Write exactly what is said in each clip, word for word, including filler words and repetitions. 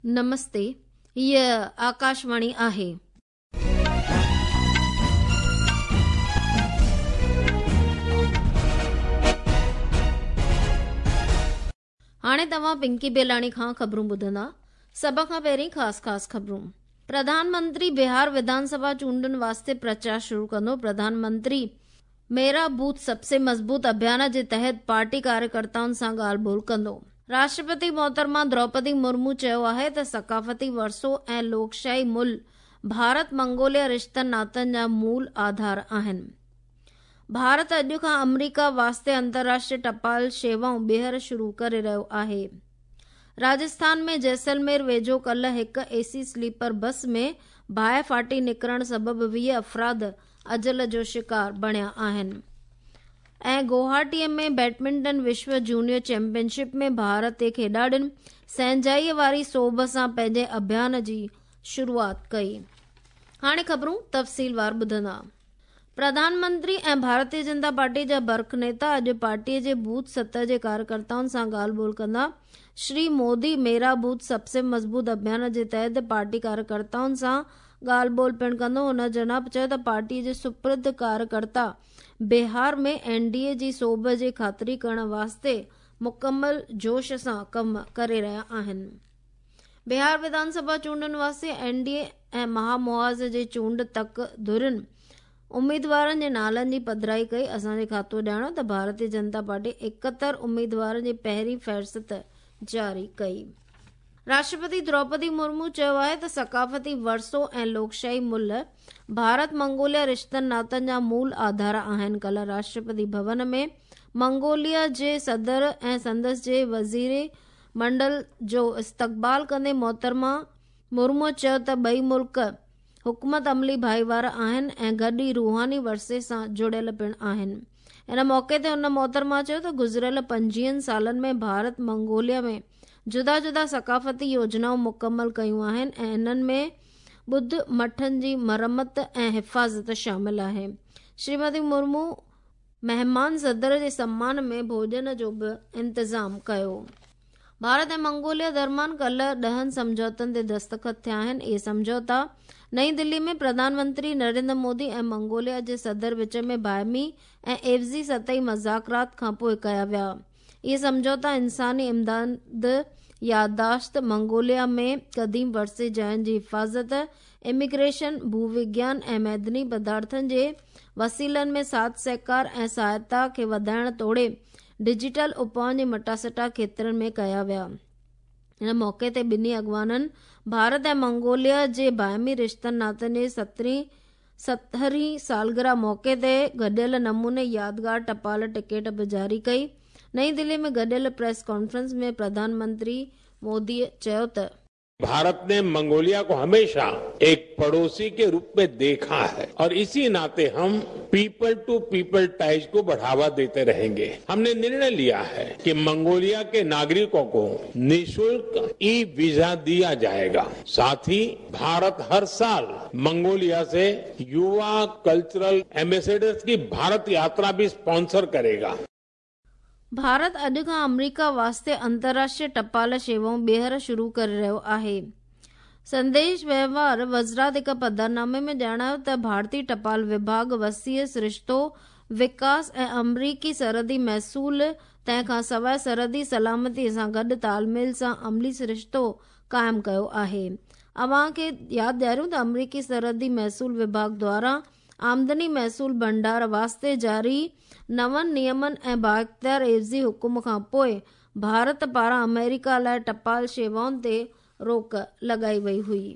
نمستي، هيء آڪاشواڻي آهي. هاڻي توهان پنڪي بيلاڻي کان خبرون ٻڌندا. سڀ کان پهرين خاص خاص خبرون. پرڌان منتري بهار وڌان سڀا چونڊن واسطي پرچار شروع ڪندو. پرڌان منتري ميرا بوٿ سب سي مضبوط اڀيان جي تحت پارٽي ڪاريڪرتائن سان ڳالهه ٻولهه ڪندو. راشٽرپتي محترمه دروپدي مرمو چيو آهي ته ثقافتي ورثو ۽ لوڪشاهي ملهه ڀارت منگوليا رشتن ناتن جا مول آڌار آهن. ڀارت اڄ کان آمريڪا واسطي انترراشٽريه ٽپال شيوائون ٻيهر شروع ڪري رهيو آهي. راجسٿان ۾ جيسلمير ويجهو ڪلهه هڪ اي سي سليپر بس ۾ باهه ڦاٽي نڪرڻ سبب ويهه افراد اجل جو شڪار بڻيا آهن. ۽ گوهاٽيء ۾ بيڊمنٽن وشو جونيئر چيمپيئن شپ ۾ ڀارتي کيڏاڙين سهنجائيء واري سوڀ سان پنهنجي اڀيان جي شروعات ڪئي. هاڻي خبرون تفصيلوار ٻڌندا. پرڌان منتري ۽ ڀارتيه جنتا پارٽي جا برک نيتا اڄ پارٽيء جي بوٿ سطح جي ڪاريڪرتائن سان ڳالهه ٻولهه ڪندا. شري مودي ميرا بوٿ سب سي مضبوط اڀيان جي تحت پارٽي ڪاريڪرتائن سان ڳالهه ٻولهه پڻ ڪندو. هن جناب چيو ته پارٽيء جي سپرد ڪاريڪرتا بهار ۾ اين ڊي اي جي سوڀ جي خاطري ڪرڻ واسطي مڪمل جوش سان ڪم ڪري رهيا آهن. بهار وڌان سڀا چونڊن واسطي اين ڊي اي ۽ مهامحاذ جي چونڊ تڪ ڌرين اميدوارن جي نالن جي پڌرائي ڪئي. اسان جي کاتو ڄاڻايو ته ڀارتيه جنتا پارٽي ايڪهتر اميدوارن جي پهرين فهرست جاري ڪئي. راشٽرپتي دروپدي مرمو چيو آهي ته ثقافتي ورثو ۽ لوڪشاهي ملهه ڀارت منگوليا رشتن ناتن جا مول آڌار آهن. ڪلهه راشٽرپتي ڀون ۾ منگوليا جي صدر ۽ سندس جي وزير منڊل جو استقبال ڪندي محترمه مرمو چيو ته ٻئي ملڪ حڪمت عملي ڀائيوار آهن ۽ گڏ ئي روحاني ورثي سان جڙيل پڻ آهن. ان موقعي تي هن محترمه چيو ته گذريل پنجويهن سالن ۾ ڀارت منگوليا ۾ جدا جدا ثقافتي يوجنائون مڪمل ڪيون آهن ۽ انهن ۾ ٻڌ مٺن جي مرمت ۽ حفاظت شامل آهي. شريمتي مرمو مهمان صدر جي سمان ۾ ڀوڄن جو به انتظام ڪيو. ڀارت ۽ منگوليا درميان ڪلهه ڏهن سمجهوتن تي دستخط ٿيا آهن. اهي سمجهوتا نئين دلي ۾ پرڌان منتري نريندر مودي ۽ منگوليا جي صدر وچ ۾ باهمي ۽ عيوضي سطحي مذاڪرات کان پوءِ ڪيا ويا. اهي سمجهوتا انساني امداد، يادداشت، منگوليا ۾ قديم ورثي جاين جي حفاظت، اميگريشن، ڀووگيان ۽ معدني پدارٿن جي وسيلن ۾ ساٿ سهڪار ۽ سهائتا کي وڌائڻ توڙي ڊجيٽل اپائن جي مٽاسٽا کيترن ۾ ڪيا ويا. ان موقعي تي ٻنهي اڳواڻن ڀارت ۽ منگوليا جي باهمي رشتن ناتن جي سترهين سالگرهه موقعي تي گڏيل نموني يادگار ٽپال ٽڪيٽ به جاري ڪئي. نئين دلي ۾ گڏيل پريس ڪانفرنس ۾ پرڌان منتري مودي چيو ته भारत ने मंगोलिया को हमेशा एक पड़ोसी के रूप में देखा है और इसी नाते हम पीपल टू पीपल टाइज को बढ़ावा देते रहेंगे। हमने निर्णय लिया है कि मंगोलिया के नागरिकों को निःशुल्क ई वीजा दिया जाएगा। साथ ही भारत हर साल मंगोलिया से युवा कल्चरल एम्बेसडर्स की भारत यात्रा भी स्पॉन्सर करेगा। ڀارت اڄ کان آمريڪا واسطي انترراشٽريه ٽپال شيوائون ٻيهر شروع ڪري رهيو آهي. سنديش وهنوار وزارت هڪ پڌرنامي ۾ ڄاڻايو ته ڀارتي ٽپال وڀاڳ وسيع سرشتو وڪاس ۽ آمريڪي سرحدي محصول تنهن کان سواءِ سرحدي سلامتي سان گڏ تالميل سان عملي سرشتو قائم ڪيو آهي. اوهان کي ياد ڏياريون ته آمريڪي سرحدي محصول وڀاڳ دواران آمدني محصول ڀنڊار واسطي جاري نون نيمن ۽ بااختيار عيوضي حڪم کان پوءِ ڀارت پاران آمريڪا لاءِ ٽپال شيوائن تي روڪ لڳائي وئي هئي.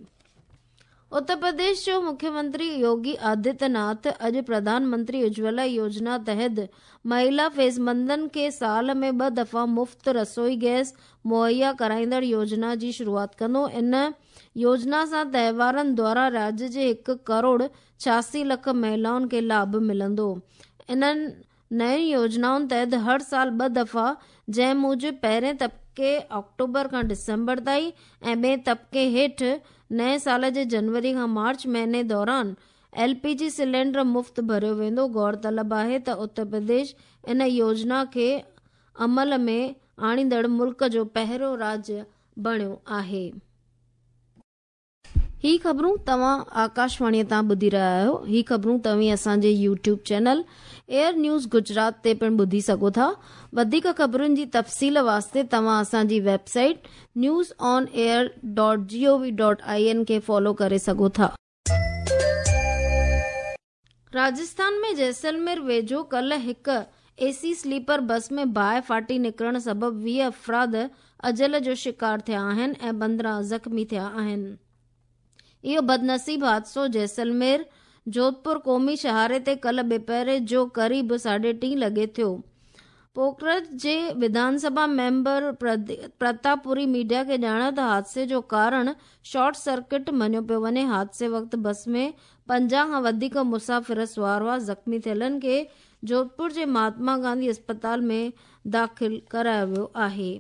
اتر پرديش جو مکيه منتري يوگي آدتيه ناٿ اڄ پرڌان منتري اجولا يوجنا تحت مهلا فيضمندن کي سال ۾ ٻه دفعا مفت رسوئي گئس مهيا ڪرائيندڙ يوجنا جي شروعات ڪندو. ان يوجنا سان تهوارن دوران راجيه جي هڪ ڪروڙ ڇهاسي لک مهلائن کي لاڀ ملندو. انهن نين يوجنائن تحت هر سال ٻه دفعا، جنهن موجب پهرين طبقي آڪٽوبر کان ڊسمبر تائين ۽ ٻئي طبقي هيٺ نئين سال جي جنوري کان مارچ مهيني دوران ايل پي جي سلينڊر مفت ڀريو ويندو. غور طلب آهي ته اتر پرديش ان يوجنا کي عمل ۾ آڻيندڙ ملڪ جو پهريون راجيه بڻيو آهي. ही ख़बरूं तव्हां आकाशवाणीअ तां ॿुधी रहिया आहियो। ही ख़बरूं तव्हीं असांजे YouTube channel Air News Gujarat ते पिणु ॿुधी सघो था। वधीक ख़बरुनि जी तफ़सील वास्ते तव्हां असांजी website news on air dot G O V dot I N खे फॉलो करे सघो था। राजस्थान में जैसलमेर वेझो कल हिकु एसी स्लीपर बस में बाहि फाटी निकिरण सबबु वीह अफ़राद अजल जो शिकार थिया आहिनि ऐं पंद्रहं ज़ख़्मी थिया आहिनि। इहो बदनसीब हादसो जैसलमेर जोधपुर क़ौमी शहारे ते कल ॿिपहर जो क़रीब साढे टी लॻे थियो। पोखरज जे विधानसभा मेंबर प्रतापपुरी मीडिया खे ॼाणायो त हादसे जो कारण शॉर्ट सर्किट मञियो पियो वञे। हादसे वक़्तु बस में पंजाह खां वधीक मुसाफ़िर सवार हुआ। ज़ख़्मी थियलनि खे जोधपुर जे महात्मा गांधी अस्पताल में दाख़िल करायो वियो आहे।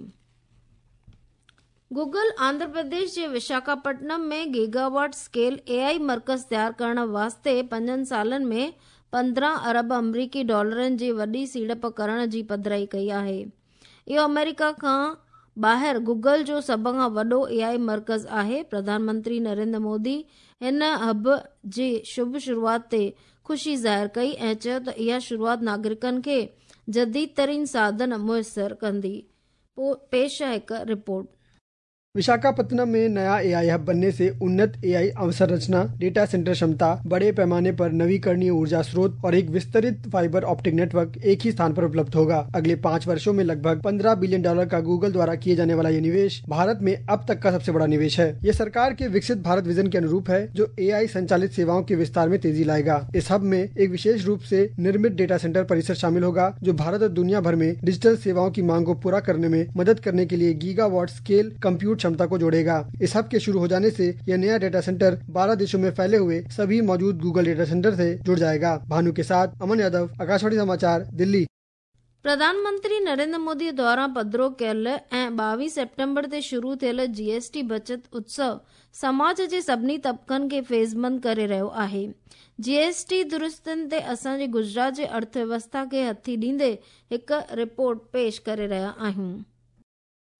गूगल आंध्र प्रदेश जे विशाखापट्टनम में गीगावाट स्केल एआई मर्कज़ तयार करण वास्ते पंजनि सालनि में पंद्रहं अरब अमरीकी डॉलरनि जी वॾी सीड़प करण जी पधराई कई आहे। इहो अमेरिका खां ॿाहिरि गूगल जो सभ खां वॾो एआई मर्कज़ आहे। प्रधानमंत्री नरेंद्र मोदी हिन हब जी शुभ शुरूआत ते ख़ुशी ज़ाहिर कई ऐं चयो त इहा शुरूआत नागरिकनि खे जदीद तरीन साधन मुयसर कंदी। पेश आहे हिकु रिपोर्ट। विशाखापत्तनम में नया एआई हब बनने से उन्नत एआई अवसंरचना, डेटा सेंटर क्षमता, बड़े पैमाने पर नवीकरणीय ऊर्जा स्रोत और एक विस्तृत फाइबर ऑप्टिक नेटवर्क एक ही स्थान पर उपलब्ध होगा। अगले पाँच वर्षों में लगभग पंद्रह बिलियन डॉलर का गूगल द्वारा किए जाने वाला ये निवेश भारत में अब तक का सबसे बड़ा निवेश है। ये सरकार के विकसित भारत विजन के अनुरूप है, जो एआई संचालित सेवाओं के विस्तार में तेजी लाएगा। इस हब में एक विशेष रूप से निर्मित डेटा सेंटर परिसर शामिल होगा, जो भारत और दुनिया भर में डिजिटल सेवाओं की मांग को पूरा करने में मदद करने के लिए गीगावाट स्केल कंप्यूट क्षमता को जोड़ेगा। इस हब के शुरू हो जाने से यह नया डेटा सेंटर बारह देशों में फैले हुए सभी मौजूद गूगल डेटा सेंटर से जुड़ जाएगा। भानु के साथ अमन यादव, आकाशवाणी समाचार, दिल्ली। प्रधानमंत्री नरेंद्र मोदी द्वारा पधरो कयल ऐं ॿावीह सेप्टेम्बर ते शुरू थियल जीएसटी बचत उत्सव समाज जे सभिनी तबक़नि खे फ़ैज़मंद करे रहियो आहे। जीएसटी दुरुस्तियुनि ते असांजे गुजरात जे अर्थव्यवस्था खे हथी ॾींदे हिकु रिपोर्ट पेश करे रहिया आहियूं।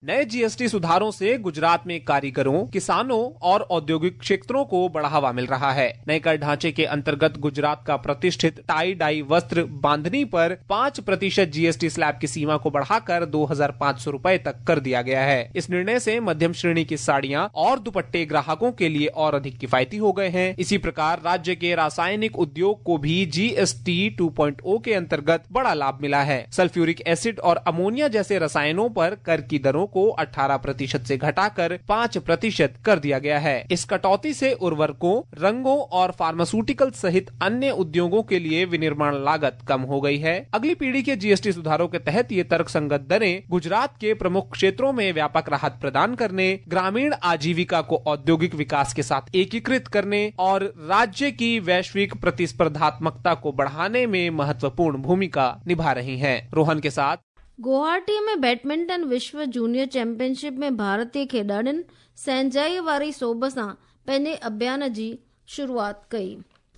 नए जीएसटी सुधारों से गुजरात में कारीगरों, किसानों और औद्योगिक क्षेत्रों को बढ़ावा मिल रहा है। नए कर ढांचे के अंतर्गत गुजरात का प्रतिष्ठित टाई डाई वस्त्र बांधनी पर पाँच प्रतिशत जीएसटी स्लैब की सीमा को बढ़ाकर दो हजार पाँच सौ रूपए तक कर दिया गया है। इस निर्णय से मध्यम श्रेणी की साड़ियां और दुपट्टे ग्राहकों के लिए और अधिक किफायती हो गए हैं। इसी प्रकार राज्य के रासायनिक उद्योग को भी जीएसटी टू पॉइंट ओ के अंतर्गत बड़ा लाभ मिला है। सल्फ्यूरिक एसिड और अमोनिया जैसे रसायनों पर कर की दरों को अठारह प्रतिशत से घटाकर पाँच प्रतिशत कर दिया गया है। इस कटौती से उर्वरकों, रंगों और फार्मास्यूटिकल सहित अन्य उद्योगों के लिए विनिर्माण लागत कम हो गई है। अगली पीढ़ी के जीएसटी सुधारों के तहत ये तर्कसंगत दरें गुजरात के प्रमुख क्षेत्रों में व्यापक राहत प्रदान करने, ग्रामीण आजीविका को औद्योगिक विकास के साथ एकीकृत करने और राज्य की वैश्विक प्रतिस्पर्धात्मकता को बढ़ाने में महत्वपूर्ण भूमिका निभा रही है। रोहन के साथ गुवाहाटी में बैडमिंटन विश्व जूनियर चैंपियनशिप में भारतीय खेॾाड़ियुनि सहंजाई वारी सोभ सां पंहिंजे अभियान जी शुरूआत कई।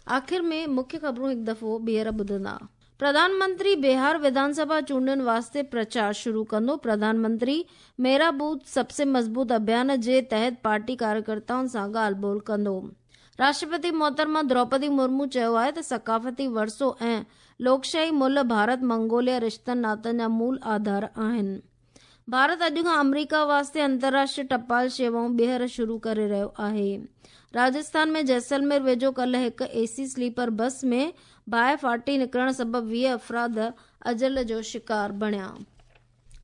आख़िर में मुख्य ख़बरूं हिकु दफ़ो ॿीहर ॿुधंदा। प्रधानमंत्री बिहार विधानसभा चूंडुनि वास्ते प्रचार शुरू कंदो। प्रधानमंत्री मेरा बूथ सबसे मज़बूत अभियान जे तहत पार्टी कार्यकर्ताउनि सां ॻाल्हि ॿोल कंदो। राष्ट्रपति मोहतरमा द्रौपदी मुर्मू चयो आहे त सकाफ़ती वरसो ऐं लोकशाही मुल्ह भारत मंगोलिया रिश्तनि नातनि जा मूल आधार आहिनि। भारत अॼु खां अमरीका वास्ते अंतर्राष्ट्रीय टपाल शेवाऊं ॿीहर शुरू करे रहियो आहे। राजस्थान में जैसलमेर वेझो कल हिकु एसी स्लीपर बस में बाहि फाटी निकिरण सबबु वीह अफ़राद अजल जो शिकार बणिया।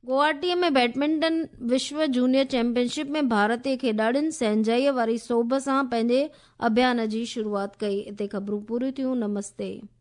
गुवाहाटीअ में बैडमिंटन विश्व जूनियर चैंपियनशिप में भारतीय खेॾाड़ियुनि सहंजाईअ वारी सोभ सां पंहिंजे अभियान जी शुरूआत कई। हिते ख़बरूं पूरियूं थियूं। नमस्ते।